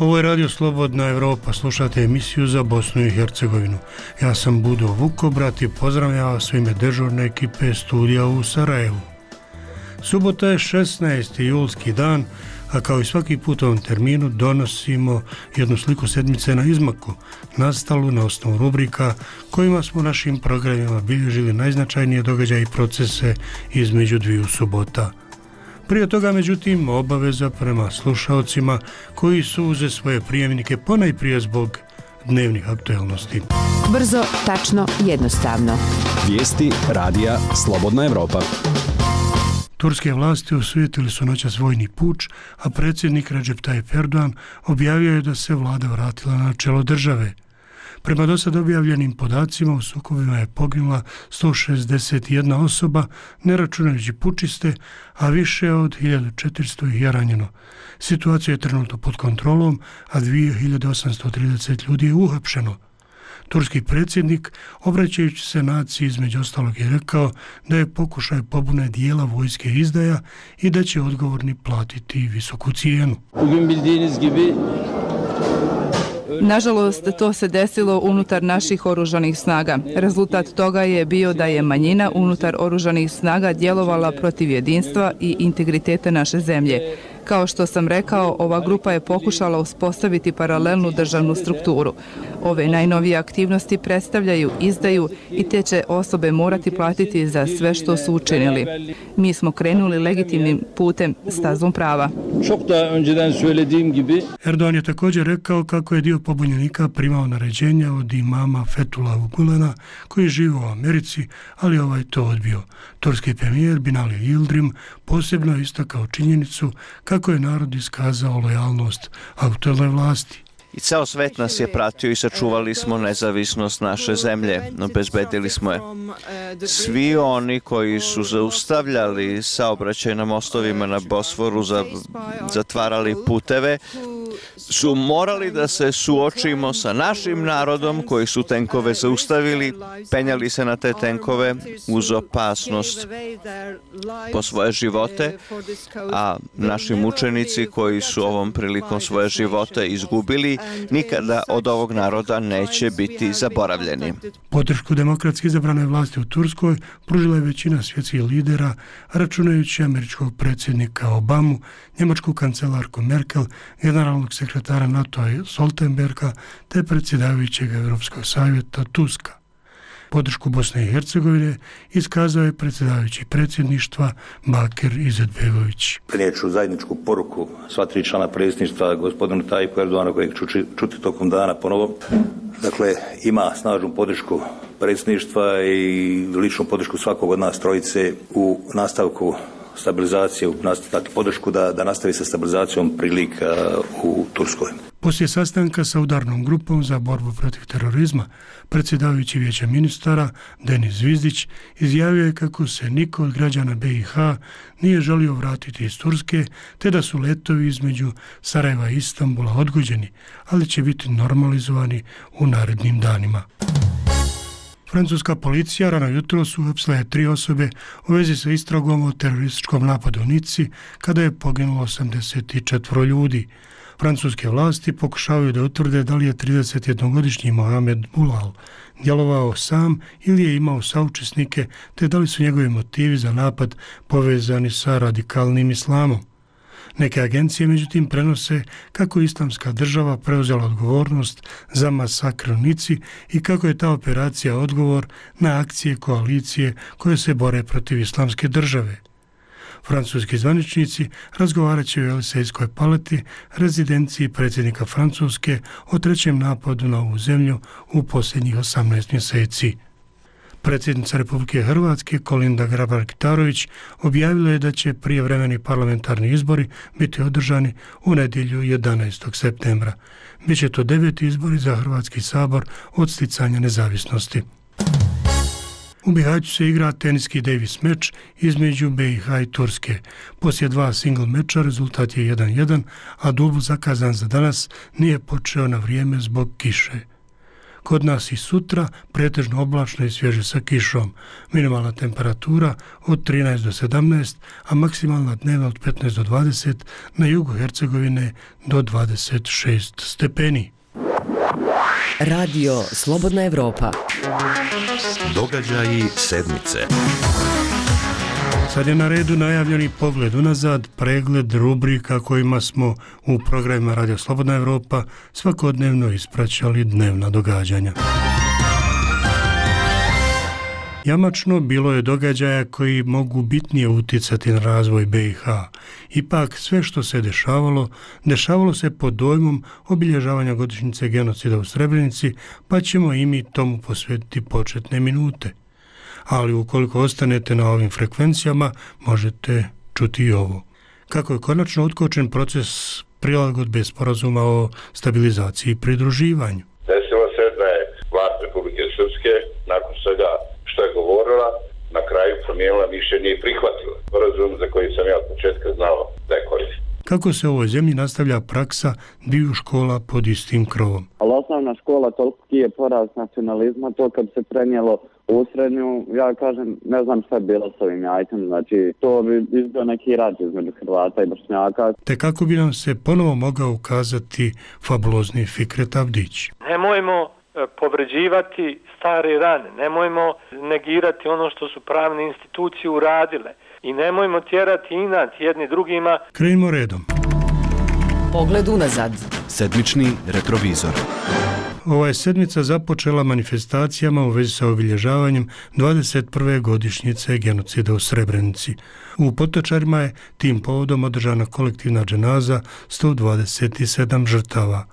Ovo je Radio Slobodna Evropa, slušate emisiju za Bosnu i Hercegovinu. Ja sam Budo Vukobrat i pozdravljam vas u ime dežurne ekipe studija u Sarajevu. Subota je 16. julski dan, a kao i svaki put u ovom terminu donosimo jednu sliku sedmice na izmaku, nastalu na osnovu rubrika kojima smo našim programima bilježili najznačajnije događaje i procese između dviju subota. Prije toga, međutim, obaveza prema slušalcima koji su uze svoje prijemnike ponajprije zbog dnevnih aktualnosti. Brzo, tačno, jednostavno. Vijesti radija Slobodna Evropa. Turske vlasti osujetili su noćas vojni puč, a predsjednik Recep Tayyip Erdogan objavio je da se vlada vratila na čelo države. Prema dosad objavljenim podacima u sukobima je poginula 161 osoba, ne računajući pučiste, a više od 1400 ih je ranjeno. Situacija je trenutno pod kontrolom, a 2830 ljudi je uhapšeno. Turski predsjednik, obraćajući se naciji, između ostalog je rekao da je pokušaj pobune dijela vojske izdaja i da će odgovorni platiti visoku cijenu. Nažalost, to se desilo unutar naših oružanih snaga. Rezultat toga je bio da je manjina unutar oružanih snaga djelovala protiv jedinstva i integriteta naše zemlje. Kao što sam rekao, ova grupa je pokušala uspostaviti paralelnu državnu strukturu. Ove najnovije aktivnosti predstavljaju izdaju i te će osobe morati platiti za sve što su učinili. Mi smo krenuli legitimnim putem, stazom prava. Erdogan je također rekao kako je dio pobunjenika primao naređenja od imama Fethullah Gulena koji živi u Americi, ali ovaj to odbio. Turski premijer Binali Yildirim posebno je istakao činjenicu kako je narod iskazao lojalnost aktuelnoj vlasti. I ceo svet nas je pratio i sačuvali smo nezavisnost naše zemlje, obezbedili smo je. Svi oni koji su zaustavljali saobraćaj na mostovima na Bosforu, zatvarali puteve, su morali da se suočimo sa našim narodom koji su tenkove zaustavili, penjali se na te tenkove uz opasnost po svoje živote, a naši mučenici koji su ovom prilikom svoje živote izgubili, nikada od ovog naroda neće biti zaboravljeni. Podršku demokratski izabranoj vlasti u Turskoj pružila je većina svjetskih lidera, računajući američkog predsjednika Obamu, njemačku kancelarku Merkel, generalnog sekretara NATO-a Stoltenberga te predsjedavajućeg Europskog savjeta Tuska. Podršku Bosne i Hercegovine iskazao je predsjedavajući predsjedništva Bakir Izetbegović. Prenijeću zajedničku poruku sva tri člana predsjedništva, gospodinu Tayyipu Erdoganu, kojeg ću čuti tokom dana ponovo. Dakle, ima snažnu podršku predsjedništva i ličnu podršku svakog od nas trojice u nastavku stabilizacije, dakle podršku da nastavi sa stabilizacijom prilika u Turskoj. Poslije sastanka sa udarnom grupom za borbu protiv terorizma, predsjedavajući vijeća ministara Denis Zvizdić izjavio je kako se niko od građana BiH nije želio vratiti iz Turske, te da su letovi između Sarajeva i Istanbula odgođeni, ali će biti normalizovani u narednim danima. Francuska policija rano jutros uhapsila je 3 osobe u vezi sa istragom o terorističkom napadu u Nici kada je poginulo 84 ljudi. Francuske vlasti pokušavaju da utvrde da li je 31-godišnji Mohamed Boulal djelovao sam ili je imao saučesnike, te da li su njegovi motivi za napad povezani sa radikalnim islamom. Neke agencije međutim prenose kako Islamska država preuzela odgovornost za masakr u Nici i kako je ta operacija odgovor na akcije koalicije koje se bore protiv Islamske države. Francuski zvaničnici razgovarat će u Elysejskoj palati, rezidenciji predsjednika Francuske, o trećem napadu na ovu zemlju u posljednjih 18 mjeseci. Predsjednica Republike Hrvatske Kolinda Grabar-Kitarović objavila je da će prijevremeni parlamentarni izbori biti održani u nedjelju 11. septembra. Biće to 9. izbori za Hrvatski sabor od sticanja nezavisnosti. U Bihaću se igra teniski Davis meč između BiH i Turske. Poslije 2 single meča rezultat je 1-1, a dubl zakazan za danas nije počeo na vrijeme zbog kiše. Kod nas i sutra pretežno oblačno i svježe sa kišom. Minimalna temperatura od 13 do 17, a maksimalna dnevna od 15 do 20, na jugu Hercegovine do 26 stepeni. Radio Slobodna Evropa. Događaji sedmice. Sad je na redu najavljeni pogled unazad, pregled rubrika kojima smo u programima Radio Slobodna Evropa svakodnevno ispraćali dnevna događanja. Jamačno bilo je događaja koji mogu bitnije utjecati na razvoj BiH. Ipak sve što se dešavalo se pod dojmom obilježavanja godišnjice genocida u Srebrenici, pa ćemo i mi tomu posvetiti početne minute. Ali ukoliko ostanete na ovim frekvencijama, možete čuti i ovo. Kako je konačno otkočen proces prilagodbe sporazuma o stabilizaciji i pridruživanju. Desilo se da je vlast Republike Srpske, nakon svega što je govorila, na kraju promijenila mišljenje i prihvatila sporazum za koji sam ja od početka znao da je koristan. Kako se u ovoj zemlji nastavlja praksa dviju škola pod istim krovom? Ali osnovna škola toliki je porast nacionalizma, to kad se prenijelo u srednju, ja kažem, ne znam šta je bilo s ovim jajcem, znači to bi izbio neki rat između Hrvata i Bošnjaka. Te kako bi nam se ponovo mogao ukazati fabulozni Fikret Avdić? Nemojmo povređivati stare rane, nemojmo negirati ono što su pravne institucije uradile i nemojmo tjerati inat jedni drugima. Krenimo redom. Pogled unazad. Sedmični retrovizor. Ova je sedmica započela manifestacijama u vezi sa obilježavanjem 21. godišnjice genocida u Srebrenici. U Potočarima je tim povodom održana kolektivna dženaza 127 žrtava.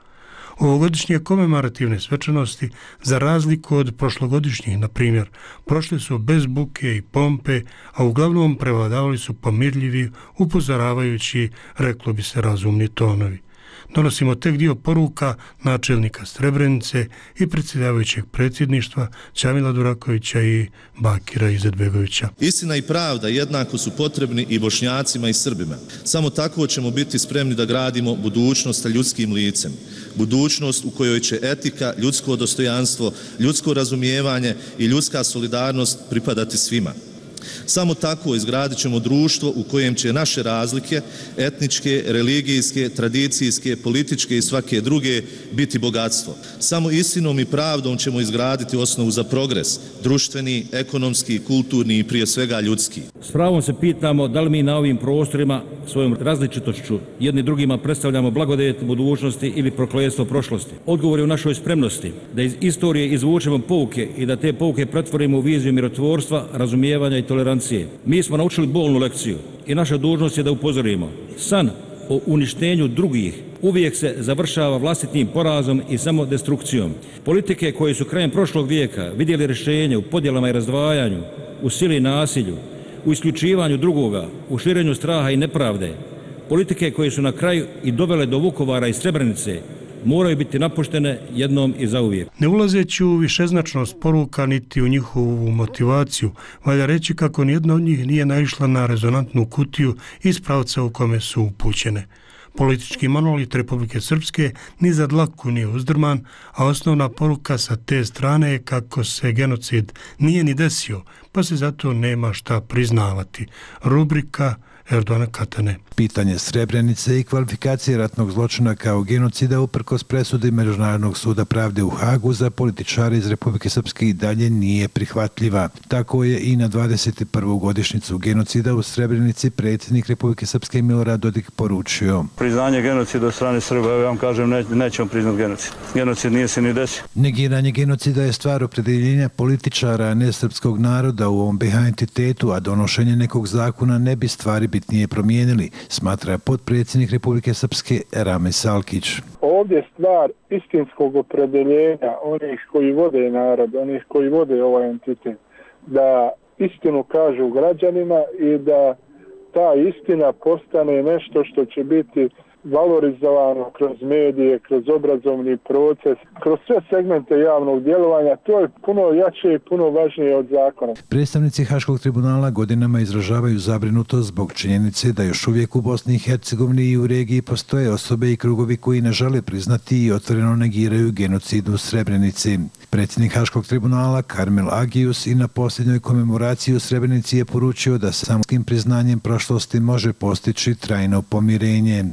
Ovogodišnje komemorativne svečanosti, za razliku od prošlogodišnjih, na primjer, prošle su bez buke i pompe, a uglavnom prevladavali su pomirljivi, upozoravajući, reklo bi se, razumni tonovi. Donosimo tek dio poruka načelnika Srebrenice i predsjedavajućeg predsjedništva Čamila Durakovića i Bakira Izetbegovića. Istina i pravda jednako su potrebni i Bošnjacima i Srbima. Samo tako ćemo biti spremni da gradimo budućnost sa ljudskim licem. Budućnost u kojoj će etika, ljudsko dostojanstvo, ljudsko razumijevanje i ljudska solidarnost pripadati svima. Samo tako izgradit ćemo društvo u kojem će naše razlike, etničke, religijske, tradicijske, političke i svake druge biti bogatstvo. Samo istinom i pravdom ćemo izgraditi osnovu za progres, društveni, ekonomski, kulturni i prije svega ljudski. S pravom se pitamo da li mi na ovim prostorima svojom različitošću jedni drugima predstavljamo blagodet budućnosti ili prokletstvo prošlosti. Odgovor je u našoj spremnosti da iz istorije izvučemo pouke i da te pouke pretvorimo u viziju mirotvorstva, razumijevanja i tolerancije. Mi smo naučili bolnu lekciju i naša dužnost je da upozorimo. San o uništenju drugih uvijek se završava vlastitim porazom i samodestrukcijom. Politike koje su krajem prošlog vijeka vidjeli rješenje u podjelama i razdvajanju, u sili i nasilju, u isključivanju drugoga, u širenju straha i nepravde, politike koje su na kraju i dovele do Vukovara i Srebrenice, moraju biti napuštene jednom i zauvijek. Ne ulazeći u višeznačnost poruka niti u njihovu motivaciju, valja reći kako nijedna od njih nije naišla na rezonantnu kutiju iz pravca u kome su upućene. Politički monolit Republike Srpske ni za dlaku nije uzdrman, a osnovna poruka sa te strane je kako se genocid nije ni desio, pa se zato nema šta priznavati. Rubrika Erdogana Katane. Pitanje Srebrenice i kvalifikacije ratnog zločina kao genocida uprkos presudi Međunarodnog suda pravde u Hagu za političare iz Republike Srpske i dalje nije prihvatljiva. Tako je i na 21. godišnjicu genocida u Srebrenici predsjednik Republike Srpske Milorad Dodik poručio. Priznanje genocida od strane Srba, ja vam kažem, nećemo priznati genocid. Genocid nije se ni desio. Negiranje genocida je stvar opredjeljenja političara, a ne srpskog naroda u ovom BiH entitetu, a donošenje nekog zakona ne bi stvari bitnije promijenili, smatra potpredsjednik Republike Srpske Ramis Alkić. Ovdje je stvar istinskog opredjeljenja onih koji vode narod, onih koji vode ovaj entitet, da istinu kažu građanima i da ta istina postane nešto što će biti valorizovano kroz medije, kroz obrazovni proces, kroz sve segmente javnog djelovanja. To je puno jače i puno važnije od zakona. Predstavnici Haškog tribunala godinama izražavaju zabrinutost zbog činjenice da još uvijek u Bosni i Hercegovini i u regiji postoje osobe i krugovi koji ne žele priznati i otvoreno negiraju genocid u Srebrenici. Predsjednik Haškog tribunala Karmel Agius i na posljednjoj komemoraciji u Srebrenici je poručio da samoskim priznanjem prošlosti može postići trajno pomirenje.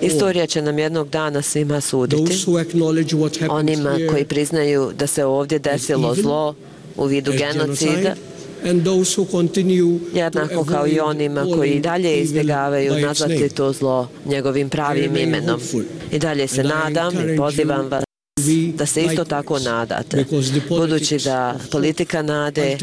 Istorija će nam jednog dana svima suditi. Onima koji priznaju da se ovdje desilo zlo u vidu genocida, jednako kao i onima koji i dalje izbjegavaju nazvati to zlo njegovim pravim imenom. I dalje se nadam i pozivam vas da se isto tako nadate, budući da politika nade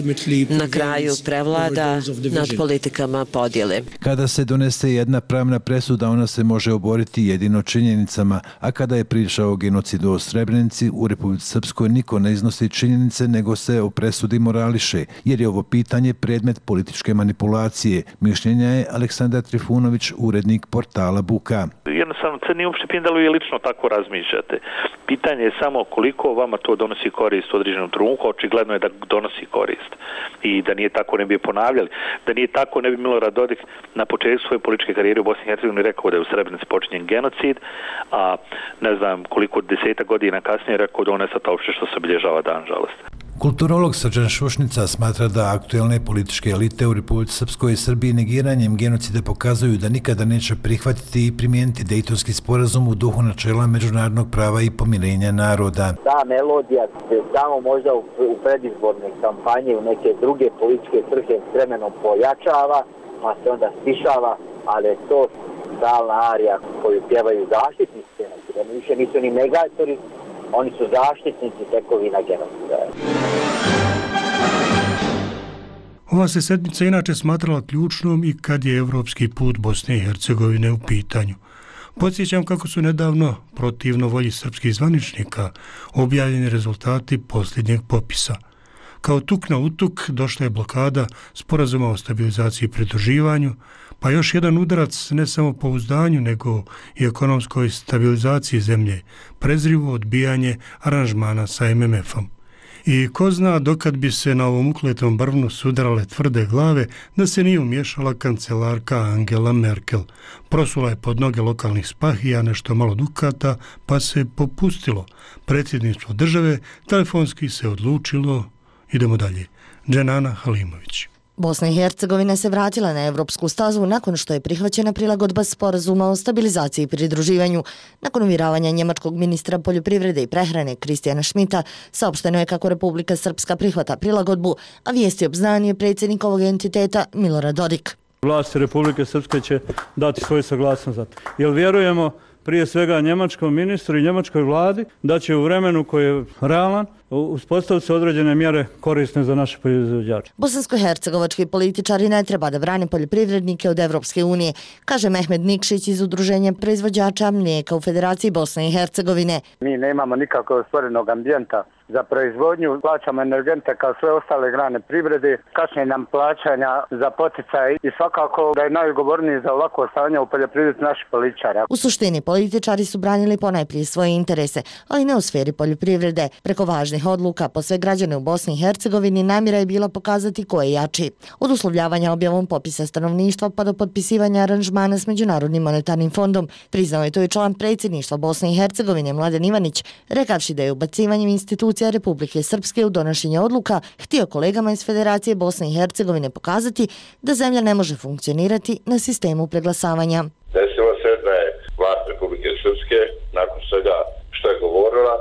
na kraju prevlada nad politikama podjele. Kada se donese jedna pravna presuda, ona se može oboriti jedino činjenicama, a kada je priča o genocidu u Srebrenici, u Republici Srpskoj niko ne iznosi činjenice, nego se o presudi morališe, jer je ovo pitanje predmet političke manipulacije. Mišljenja je Aleksandar Trifunović, urednik portala Buka. Jednostavno, crni uopšte pindalu je lično tako razmišljate. Pitanje je samo koliko vama to donosi korist u određenom trenutku, očigledno je da donosi korist. I da nije tako ne bi je ponavljali. Da nije tako ne bi Milorad Dodik na početku svoje političke karijere u Bosni i Hercegovini rekao da je u Srebrenici počinjen genocid, a ne znam koliko 10 godina kasnije rekao da on je sad uopšte što se obilježava dan žalosti. Kulturolog Srđan Šušnica smatra da aktuelne političke elite u Republici Srpskoj i Srbiji negiranjem genocida pokazuju da nikada neće prihvatiti i primijeniti Dejtonski sporazum u duhu načela međunarodnog prava i pomirenja naroda. Ta melodija se samo možda u predizborne kampanje u neke druge političke svrhe s vremenom pojačava, pa se onda stišava, ali je to stalna arija koju pjevaju zaštitnici, da više nisu ni negatori, oni su zaštitnici tekovina genocida. Ova se sedmica inače smatrala ključnom i kad je evropski put Bosne i Hercegovine u pitanju. Podsjećam kako su nedavno, protivno volji srpskih zvaničnika, objavljeni rezultati posljednjeg popisa. Kao tuk na utuk došla je blokada sporazuma o stabilizaciji i pridruživanju, pa još jedan udarac ne samo pouzdanju, nego i ekonomskoj stabilizaciji zemlje, prezrivo odbijanje aranžmana sa MMF-om. I ko zna dokad bi se na ovom ukletom brvnu sudarale tvrde glave da se nije umješala kancelarka Angela Merkel. Prosula je pod noge lokalnih spahija nešto malo dukata, pa se popustilo. Predsjedništvo države telefonski se odlučilo. Idemo dalje. Dženana Halimović. Bosna i Hercegovina se vratila na evropsku stazu nakon što je prihvaćena prilagodba sporazuma o stabilizaciji i pridruživanju. Nakon uvjeravanja njemačkog ministra poljoprivrede i prehrane Kristijana Šmita, saopšteno je kako Republika Srpska prihvata prilagodbu, a vijesti obznanio predsjednik ovog entiteta Milorad Dodik. Vlasti Republike Srpske će dati svoju saglasnost za to. Jer vjerujemo prije svega njemačkom ministru i njemačkoj vladi da će u vremenu koji je realan uspostaviti se određene mjere korisne za naše proizvođače. Bosansko-hercegovački političari ne treba da brane poljoprivrednike od Evropske unije, kaže Mehmed Nikšić iz Udruženja proizvođača mlijeka u Federaciji Bosne i Hercegovine. Mi nemamo nikakvog stvorenog ambijenta za proizvodnju, plaćamo energente kao sve ostale grane privrede, kasnije nam plaćanja za poticaj i svakako da je najodgovorniji za ovako stanje u poljoprivredi naši političari. U suštini političari su branili ponajprije svoje interese, ali ne u sferi poljoprivrede. Preko važnih odluka po sve građane u Bosni i Hercegovini namjera je bila pokazati ko je jači. Od uslovljavanja objavom popisa stanovništva pa do potpisivanja aranžmana s Međunarodnim monetarnim fondom, priznao je to i član predsjedništva Bosne i Hercegovine Mladen Ivanić, rekavši da je ubacivanjem institucija Republike Srpske u donošenje odluka htio kolegama iz Federacije Bosne i Hercegovine pokazati da zemlja ne može funkcionirati na sistemu preglasavanja. Desilo se da je vlast Republike Srpske nakon svega što je govorila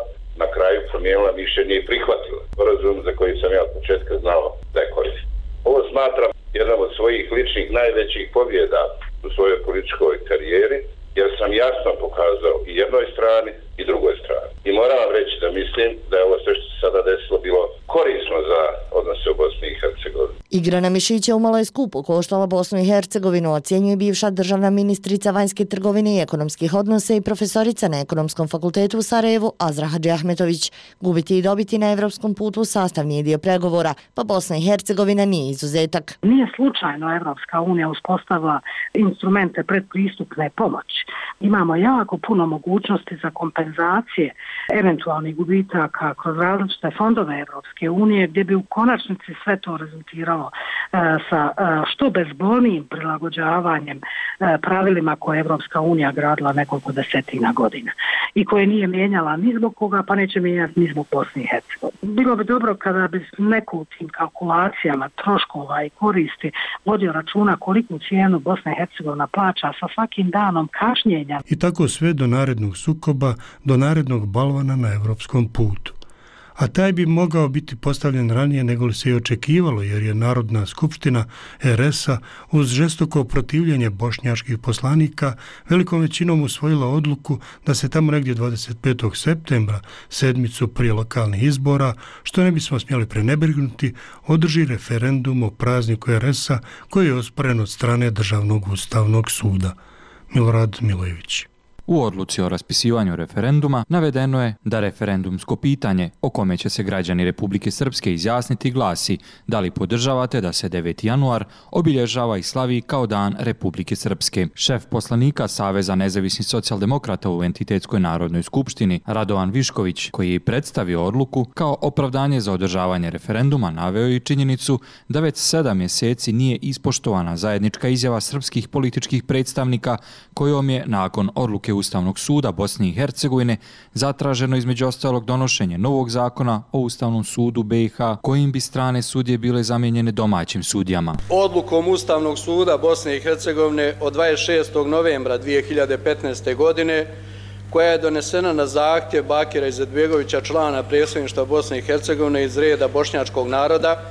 na kraju promijenila mišljenje i prihvatila sporazum za koji sam ja od početka znao da je koristan. Ovo smatram jedan od svojih ličnih najvećih pobjeda u svojoj političkoj karijeri, jer sam jasno pokazao i jednoj strani i drugoj strani. I moram vam reći da mislim da je ovo sve što se sada desilo bilo korisno za odnose u Bosni i Hercegovini. Igra na mišiće umalo je skupo koštala Bosnu i Hercegovinu, ocjenjuje bivša državna ministrica vanjske trgovine i ekonomskih odnosa i profesorica na Ekonomskom fakultetu u Sarajevu Azra Hadžiahmetović. Gubiti i dobiti na evropskom putu sastavni je dio pregovora, pa Bosna i Hercegovina nije izuzetak. Nije slučajno Evropska unija uspostavila instrumente predpristupne pomoći. Imamo jako puno mogućnosti za kompenzacije eventualnih gubitaka kroz različite fondove Evropske unije, gdje bi u konačnici sve to rezultiralo sa što bezbolnijim prilagođavanjem pravilima koje Evropska unija gradila nekoliko desetina godina i koje nije mijenjala ni zbog koga, pa neće mijenjati ni zbog Bosne i Hercegovine. Bilo bi dobro kada bi neko u tim kalkulacijama troškova i koristi vodio računa koliku cijenu Bosna i Hercegovina plaća sa svakim danom kašnjenja. I tako sve do narednog sukoba, do narednog balvana na evropskom putu. A taj bi mogao biti postavljen ranije nego li se i očekivalo, jer je Narodna skupština RS-a uz žestoko protivljenje bošnjačkih poslanika velikom većinom usvojila odluku da se tamo negdje 25. septembra, sedmicu prije lokalnih izbora, što ne bismo smjeli prenebregnuti, održi referendum o prazniku RS-a koji je osporen od strane Državnog ustavnog suda. Milorad Milojević. U odluci o raspisivanju referenduma navedeno je da referendumsko pitanje o kome će se građani Republike Srpske izjasniti glasi da li podržavate da se 9. januar obilježava i slavi kao Dan Republike Srpske. Šef poslanika Saveza nezavisnih socijaldemokrata u Entitetskoj narodnoj skupštini Radovan Višković, koji je predstavio odluku kao opravdanje za održavanje referenduma, naveo i činjenicu da već 7 mjeseci nije ispoštovana zajednička izjava srpskih političkih predstavnika kojom je nakon odluke Ustavnog suda Bosne i Hercegovine zatraženo između ostalog donošenje novog zakona o Ustavnom sudu BiH kojim bi strane sudije bile zamijenjene domaćim sudijama. Odlukom Ustavnog suda Bosne i Hercegovine od 26. novembra 2015. godine koja je donesena na zahtjev Bakira Izetbegovića, člana predsjedništva Bosne i Hercegovine iz reda bošnjačkog naroda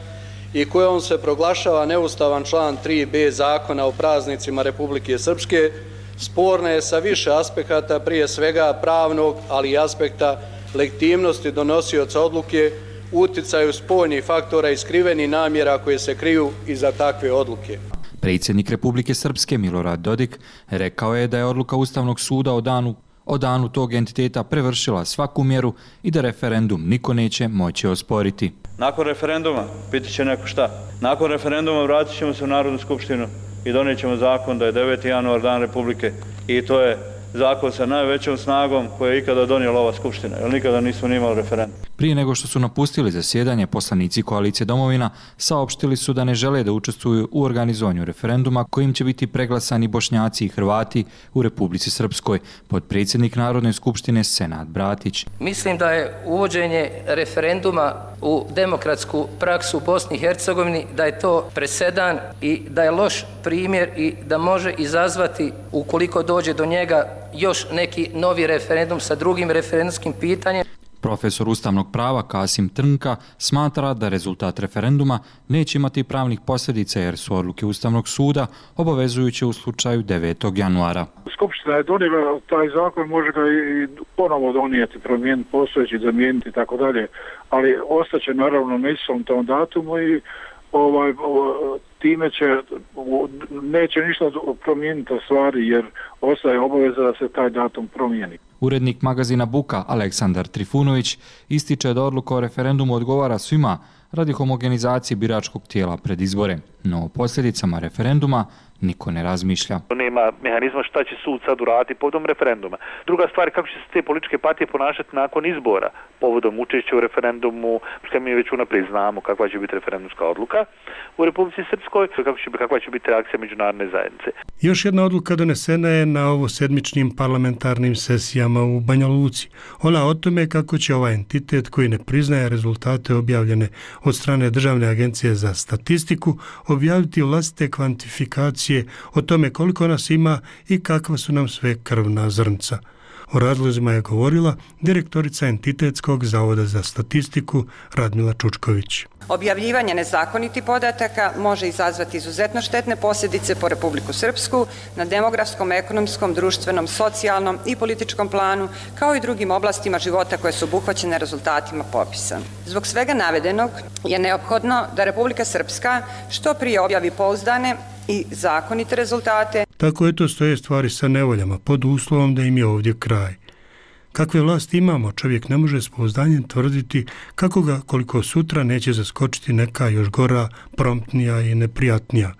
i kojom se proglašava neustavan član 3b Zakona o praznicima Republike Srpske, sporna je sa više aspekata, prije svega pravnog, ali i aspekta legitimnosti donosioca odluke, uticaju spoljnih faktora i skrivenih namjera koje se kriju iza takve odluke. Predsjednik Republike Srpske Milorad Dodik rekao je da je odluka Ustavnog suda o danu tog entiteta prevršila svaku mjeru i da referendum niko neće moći osporiti. Nakon referenduma, piti će neko šta, nakon referenduma vratit ćemo se u Narodnu skupštinu i donijet ćemo zakon da je 9. januar Dan Republike i to je zakon sa najvećom snagom koje je ikada donijela ova skupština, jer nikada nismo imali referendum. Prije nego što su napustili zasjedanje, poslanici koalicije Domovina saopštili su da ne žele da učestvuju u organizovanju referenduma kojim će biti preglasani Bošnjaci i Hrvati u Republici Srpskoj, potpredsjednik Narodne skupštine Senad Bratić. Mislim da je uvođenje referenduma u demokratsku praksu u Bosni i Hercegovini, da je to presedan i da je loš primjer i da može izazvati, ukoliko dođe do njega, još neki novi referendum sa drugim referendumskim pitanjem. Profesor ustavnog prava Kasim Trnka smatra da rezultat referenduma neće imati pravnih posljedica jer su odluke Ustavnog suda obavezujuće u slučaju 9. januara. Skupština je donijela taj zakon, može ga i ponovo donijeti, promijeniti postojeći, zamijeniti i tako dalje, ali ostaće naravno na istom tom datumu i time neće ništa promijeniti stvari jer ostaje obaveza da se taj datum promijeni. Urednik magazina Buka Aleksandar Trifunović ističe da odluka o referendumu odgovara svima radi homogenizacije biračkog tijela pred izbore, no o posljedicama referenduma niko ne razmišlja. Nema mehanizma šta će sud sad uraditi povodom referenduma. Druga stvar je kako će se te političke partije ponašati nakon izbora povodom učešća u referendumu, što mi već unaprijed znamo kakva će biti referendumska odluka u Republici Srpskoj, kakva će biti reakcija međunarodne zajednice. Još jedna odluka donesena je na ovo sedmičnim parlamentarnim sesijama u Banja Luci. Ona o tome kako će ovaj entitet koji ne priznaje rezultate objavljene od strane Državne agencije za statistiku objaviti vlastite kvantifikacije o tome koliko nas ima i kakva su nam sve krvna zrnca. O razlozima je govorila direktorica Entitetskog zavoda za statistiku Radmila Čučković. Objavljivanje nezakonitih podataka može izazvati izuzetno štetne posljedice po Republiku Srpsku na demografskom, ekonomskom, društvenom, socijalnom i političkom planu, kao i drugim oblastima života koje su obuhvaćene rezultatima popisa. Zbog svega navedenog je neophodno da Republika Srpska što prije objavi pouzdane i zakonite rezultate. Tako eto stoje stvari sa nevoljama, pod uslovom da im je ovdje kraj. Kakve vlasti imamo, čovjek ne može s pouzdanjem tvrditi kako ga koliko sutra neće zaskočiti neka još gora, promptnija i neprijatnija.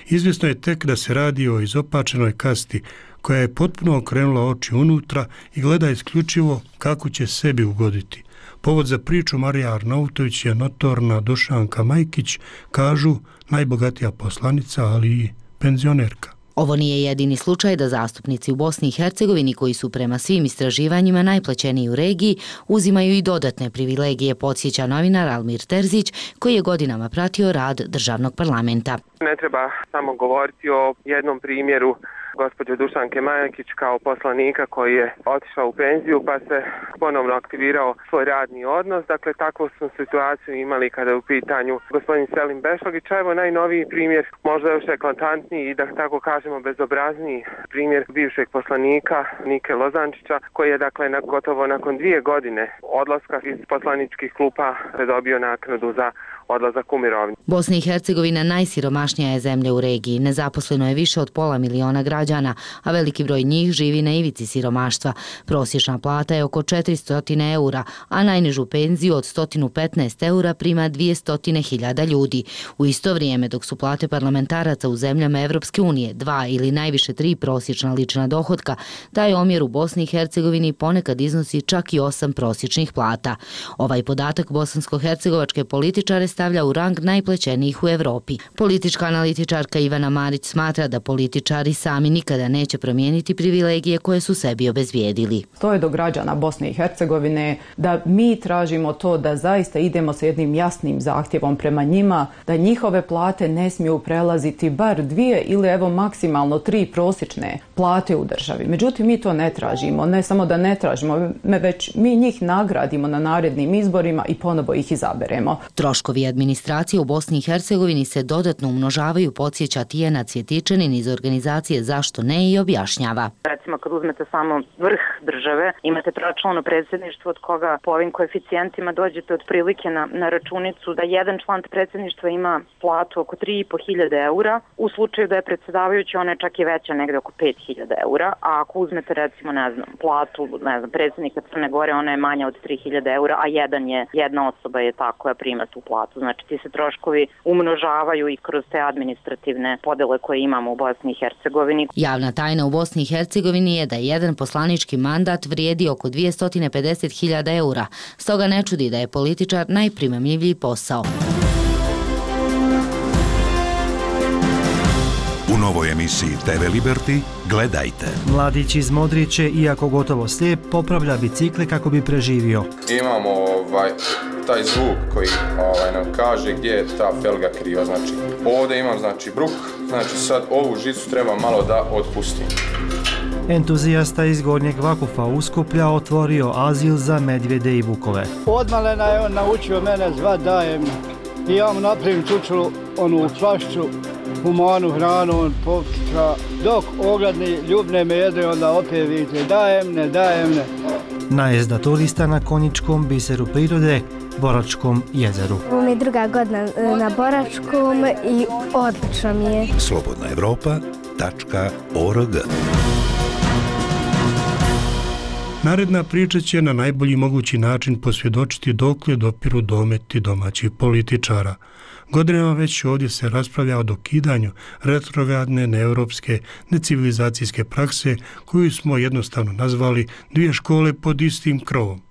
Izvjesno je tek da se radi o izopačenoj kasti koja je potpuno okrenula oči unutra i gleda isključivo kako će sebi ugoditi. Povod za priču Marija Arnautović je notorna Dušanka Majkić, kažu najbogatija poslanica, ali i penzionerka. Ovo nije jedini slučaj da zastupnici u Bosni i Hercegovini, koji su prema svim istraživanjima najplaćeniji u regiji, uzimaju i dodatne privilegije, podsjeća novinar Almir Terzić, koji je godinama pratio rad državnog parlamenta. Ne treba samo govoriti o jednom primjeru gospođe Dušanke Majkić kao poslanika koji je otišao u penziju pa se ponovno aktivirao svoj radni odnos. Dakle, takvu smo situaciju imali kada je u pitanju gospodin Selim Bešlagić. Evo najnoviji primjer, možda još eklatantniji i da tako kažemo bezobrazniji primjer bivšeg poslanika Nike Lozančića, koji je dakle gotovo nakon 2 godine odlaska iz poslaničkih klupa dobio naknadu za odlazak u mirovinu. Bosna i Hercegovina najsiromašnija je zemlja u regiji. Nezaposleno je više od 500 miliona građana, a veliki broj njih živi na ivici siromaštva. Prosječna plata je oko 400 eura, a najnižu penziju od 115 eura prima 200.000 ljudi. U isto vrijeme, dok su plate parlamentaraca u zemljama Evropske unije 2 ili najviše 3 prosječna lična dohotka, taj omjer u Bosni i Hercegovini ponekad iznosi čak i 8 prosječnih plata. Ovaj podatak bosansko-hercegovačke političare stavlja u rang najplaćenijih u Evropi. Politička analitičarka Ivana Marić smatra da političari sami nikada neće promijeniti privilegije koje su sebi obezbijedili. To je do građana Bosne i Hercegovine da mi tražimo to da zaista idemo sa jednim jasnim zahtjevom prema njima, da njihove plate ne smiju prelaziti bar 2 ili evo maksimalno 3 prosječne plate u državi. Međutim, mi to ne tražimo. Ne samo da ne tražimo, već mi njih nagradimo na narednim izborima i ponovo ih izaberemo. Troškovi administracije u Bosni i Hercegovini se dodatno umnožavaju, podsjeća Tijana Cvjetičanin iz organizacije Zašto ne i objašnjava. Recimo kad uzmete samo vrh države, imate tročlano predsjedništvo od koga po ovim koeficijentima dođete otprilike na računicu da jedan član predsjedništva ima platu oko 3.500 eura. U slučaju da je predsjedavajući, ona je čak i veća, negde oko 5.000 eura. A ako uzmete recimo, platu, predsjednika Crne Gore, ona je manja od 3.000 eura, a jedna osoba je ta koja prima tu platu. Znači ti se troškovi umnožavaju i kroz te administrativne podele koje imamo u Bosni i Hercegovini. Javna tajna u Bosni i Hercegovini je da jedan poslanički mandat vrijedi oko 250.000 eura. Stoga ne čudi da je političar najprimamljiviji posao. U novoj emisiji TV Liberty gledajte. Mladić iz Modriće, iako gotovo slijep, popravlja bicikle kako bi preživio. Imamo taj zvuk koji nam kaže gdje je ta felga kriva. Znači, ovdje imam bruk, znači sad ovu žicu treba malo da otpustim. Entuzijasta iz Gornjeg Vakufa Uskuplja otvorio azil za medvjede i vukove. Odmalena je on naučio mene zvat Dajem. I ja mu napravim čučulu, onu flašću, humanu hranu, on pokuša. Dok ogladni ljubne me jede, onda opet vidite Dajem ne. Najezda turista na konjičkom biseru prirode, Boračkom jezeru. Ovo mi je druga godina na Boračkom i odlično mi je. slobodnaevropa.org. Naredna priča će na najbolji mogući način posvjedočiti dokle dopiru dometi domaćih političara. Godinama već ovdje se raspravlja o dokidanju retrogradne, neeuropske, necivilizacijske prakse koju smo jednostavno nazvali 2 škole pod istim krovom.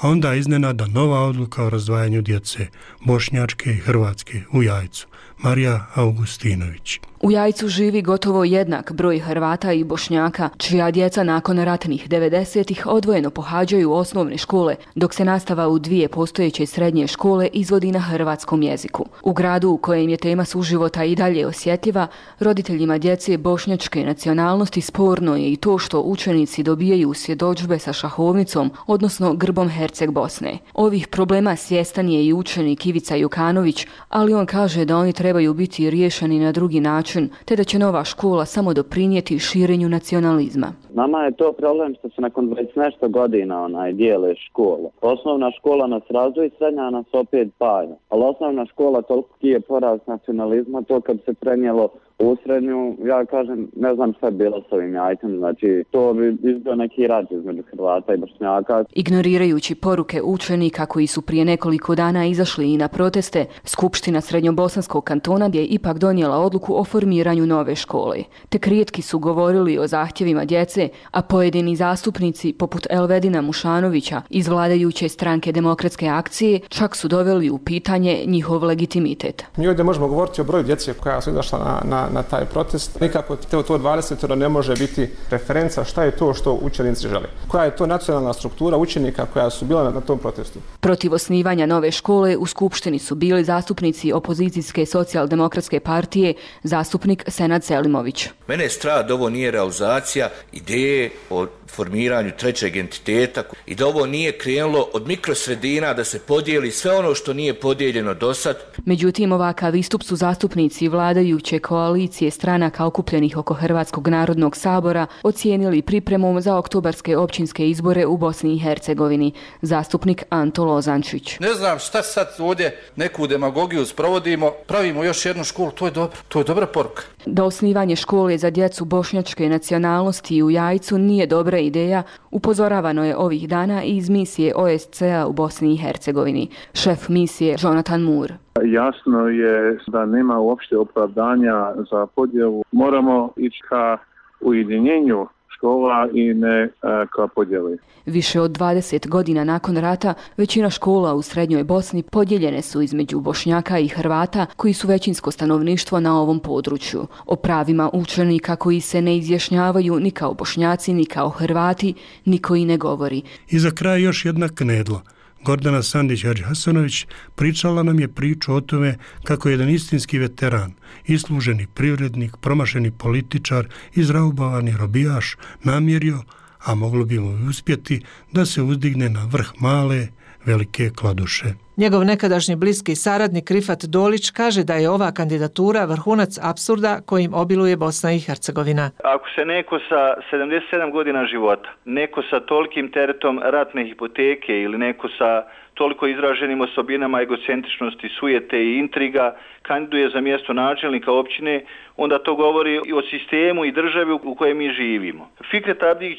A onda iznenada nova odluka o razdvajanju djece, bošnjačke i hrvatske, u Jajcu. Marija Augustinović. U Jajcu živi gotovo jednak broj Hrvata i Bošnjaka, čija djeca nakon ratnih 90-ih odvojeno pohađaju osnovne škole, dok se nastava u 2 postojeće srednje škole izvodi na hrvatskom jeziku. U gradu u kojem je tema suživota i dalje osjetljiva, roditeljima djece bošnjačke nacionalnosti sporno je i to što učenici dobijaju svjedodžbe sa šahovnicom, odnosno grbom Herceg Bosne. Ovih problema svjestan je i učenik Ivica Jukanović, ali on kaže da oni trebaju biti riješeni na drugi način, te da će nova škola samo doprinijeti širenju nacionalizma. Nama je to problem što se nakon 20 nešto godina dijele škole. Osnovna škola nas razdvoji, srednja nas opet paja. Ali osnovna škola toliko je porast nacionalizma, to kad se prenijelo u srednju, ja kažem, ne znam šta je bilo s ovim Jajcem, znači to bi izbio neki rat između Hrvata i Bošnjaka. Ignorirajući poruke učenika koji su prije nekoliko dana izašli i na proteste, Skupština Srednjobosanskog kantona je ipak donijela odluku o formiranju nove škole. Tek rijetki su govorili o zahtjevima djece, a pojedini zastupnici, poput Elvedina Mušanovića iz vladajuće stranke Demokratske akcije, čak su doveli u pitanje njihov legitimitet. Mi ovdje možemo govoriti o broju djece koja su izašla na taj protest. Nikako to 20 ne može biti referenca šta je to što učenici žele. Koja je to nacionalna struktura učenika koja su bila na tom protestu. Protiv osnivanja nove škole u Skupštini su bili zastupnici opozicijske socijaldemokratske partije, zastupnik Senad Selimović. Mene je strah da ovo nije realizacija ideje o formiranju trećeg entiteta i da ovo nije krenulo od mikrosredina da se podijeli sve ono što nije podijeljeno do sad. Međutim, ovakav istup su zastupnici vladajuće koalicije stranaka okupljenih oko Hrvatskog narodnog sabora ocijenili pripremom za oktobarske općinske izbore u Bosni i Hercegovini. Zastupnik Anto Lozančić. Ne znam šta sad ovdje neku demagogiju sprovodimo, pravimo još jednu školu, to je dobro. To je dobra poruka. Da osnivanje škole za djecu bošnjačke nacionalnosti u Jajcu nije dobra ideja, upozoravano je ovih dana i iz misije OSCE-a u Bosni i Hercegovini. Šef misije Jonathan Moore. Jasno je da nema uopšte opravdanja za podjelu. Moramo ići ka ujedinjenju škola i ne ka podjeli. Više od 20 godina nakon rata, većina škola u srednjoj Bosni podijeljene su između Bošnjaka i Hrvata koji su većinsko stanovništvo na ovom području. O pravima učenika koji se ne izjašnjavaju ni kao Bošnjaci ni kao Hrvati niko i ne govori. I za kraj još jedna knedla. Gordana Sandić-Hadžihasanović pričala nam je priču o tome kako je jedan istinski veteran, isluženi privrednik, promašeni političar, izraubavani robijaš namjerio, a moglo bi mu uspjeti, da se uzdigne na vrh male, velike kladuše. Njegov nekadašnji bliski saradnik Rifat Dolić kaže da je ova kandidatura vrhunac apsurda kojim obiluje Bosna i Hercegovina. Ako se neko sa 77 godina života, neko sa tolikim teretom ratne hipoteke ili neko sa toliko izraženim osobinama egocentričnosti, sujete i intriga kandiduje za mjesto načelnika općine, onda to govori i o sistemu i državi u kojoj mi živimo. Fikret Abdić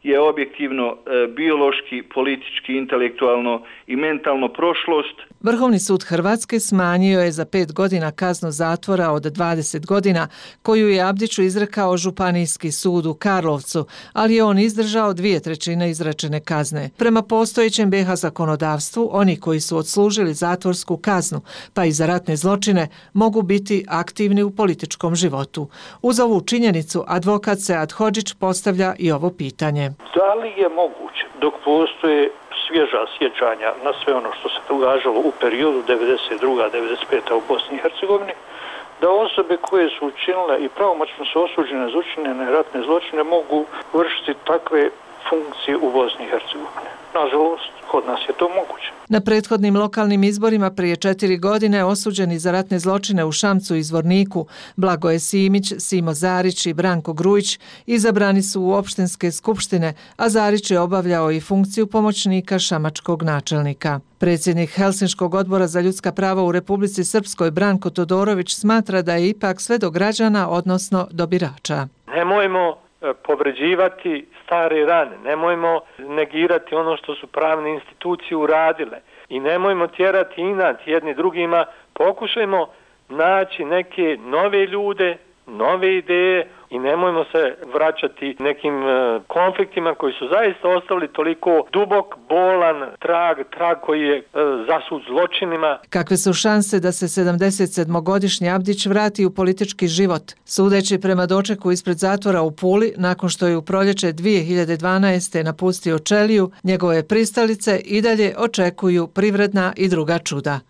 je objektivno, biološki, politički, intelektualno i mentalno prošlost. Vrhovni sud Hrvatske smanjio je za 5 godina kaznu zatvora od 20 godina koju je Abdiću izrekao Županijski sud u Karlovcu, ali je on izdržao 2/3 izrečene kazne. Prema postojećem BiH zakonodavstvu, oni koji su odslužili zatvorsku kaznu, pa i za ratne zločine, mogu biti aktivni u političkom životu. Uz ovu činjenicu, advokat Sead Hodžić postavlja i ovo pitanje. Da li je moguće, dok postoje svježa sjećanja na sve ono što se događalo u periodu 92-95 u Bosni i Hercegovini, da osobe koje su učinile i pravomoćno su osuđene za učinjene ratne zločine mogu vršiti takve funkcije u Bosni i Hercegovini? Nažalost, kod nas je to moguće. Na prethodnim lokalnim izborima prije 4 godine osuđeni za ratne zločine u Šamcu i Zvorniku, Blagoje Simić, Simo Zarić i Branko Grujić izabrani su u opštinske skupštine, a Zarić je obavljao i funkciju pomoćnika šamačkog načelnika. Predsjednik Helsinškog odbora za ljudska prava u Republici Srpskoj Branko Todorović smatra da je ipak sve do građana, odnosno do birača. Nemojmo povređivati stare rane, nemojmo negirati ono što su pravne institucije uradile i nemojmo tjerati inat jedni drugima, pokušajmo naći neke nove ljude, nove ideje, i nemojmo se vraćati nekim konfliktima koji su zaista ostavili toliko dubok, bolan trag koji je zasut zločinima. Kakve su šanse da se 77-godišnji Abdić vrati u politički život? Sudeći prema dočeku ispred zatvora u Puli, nakon što je u proljeće 2012. napustio ćeliju, njegove pristalice i dalje očekuju privredna i druga čuda.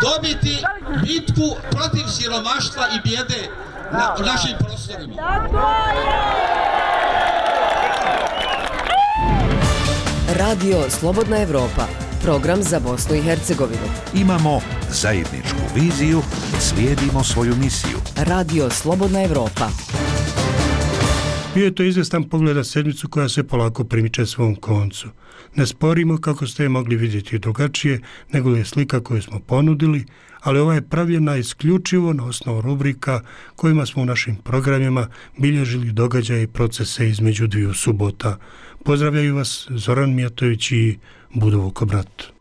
Dobiti bitku protiv siromaštva i bijede na našim prostorima. Radio Slobodna Evropa, program za Bosnu i Hercegovinu. Imamo zajedničku viziju, slijedimo svoju misiju. Radio Slobodna Evropa. Bio je to izvestan pogled na sedmicu koja se polako primiče svom koncu. Ne sporimo kako ste je mogli vidjeti drugačije nego je slika koju smo ponudili, ali ova je pravljena isključivo na osnovu rubrika kojima smo u našim programima bilježili događaje i procese između dviju subota. Pozdravljaju vas Zoran Mijatović i Budovo Kobrat.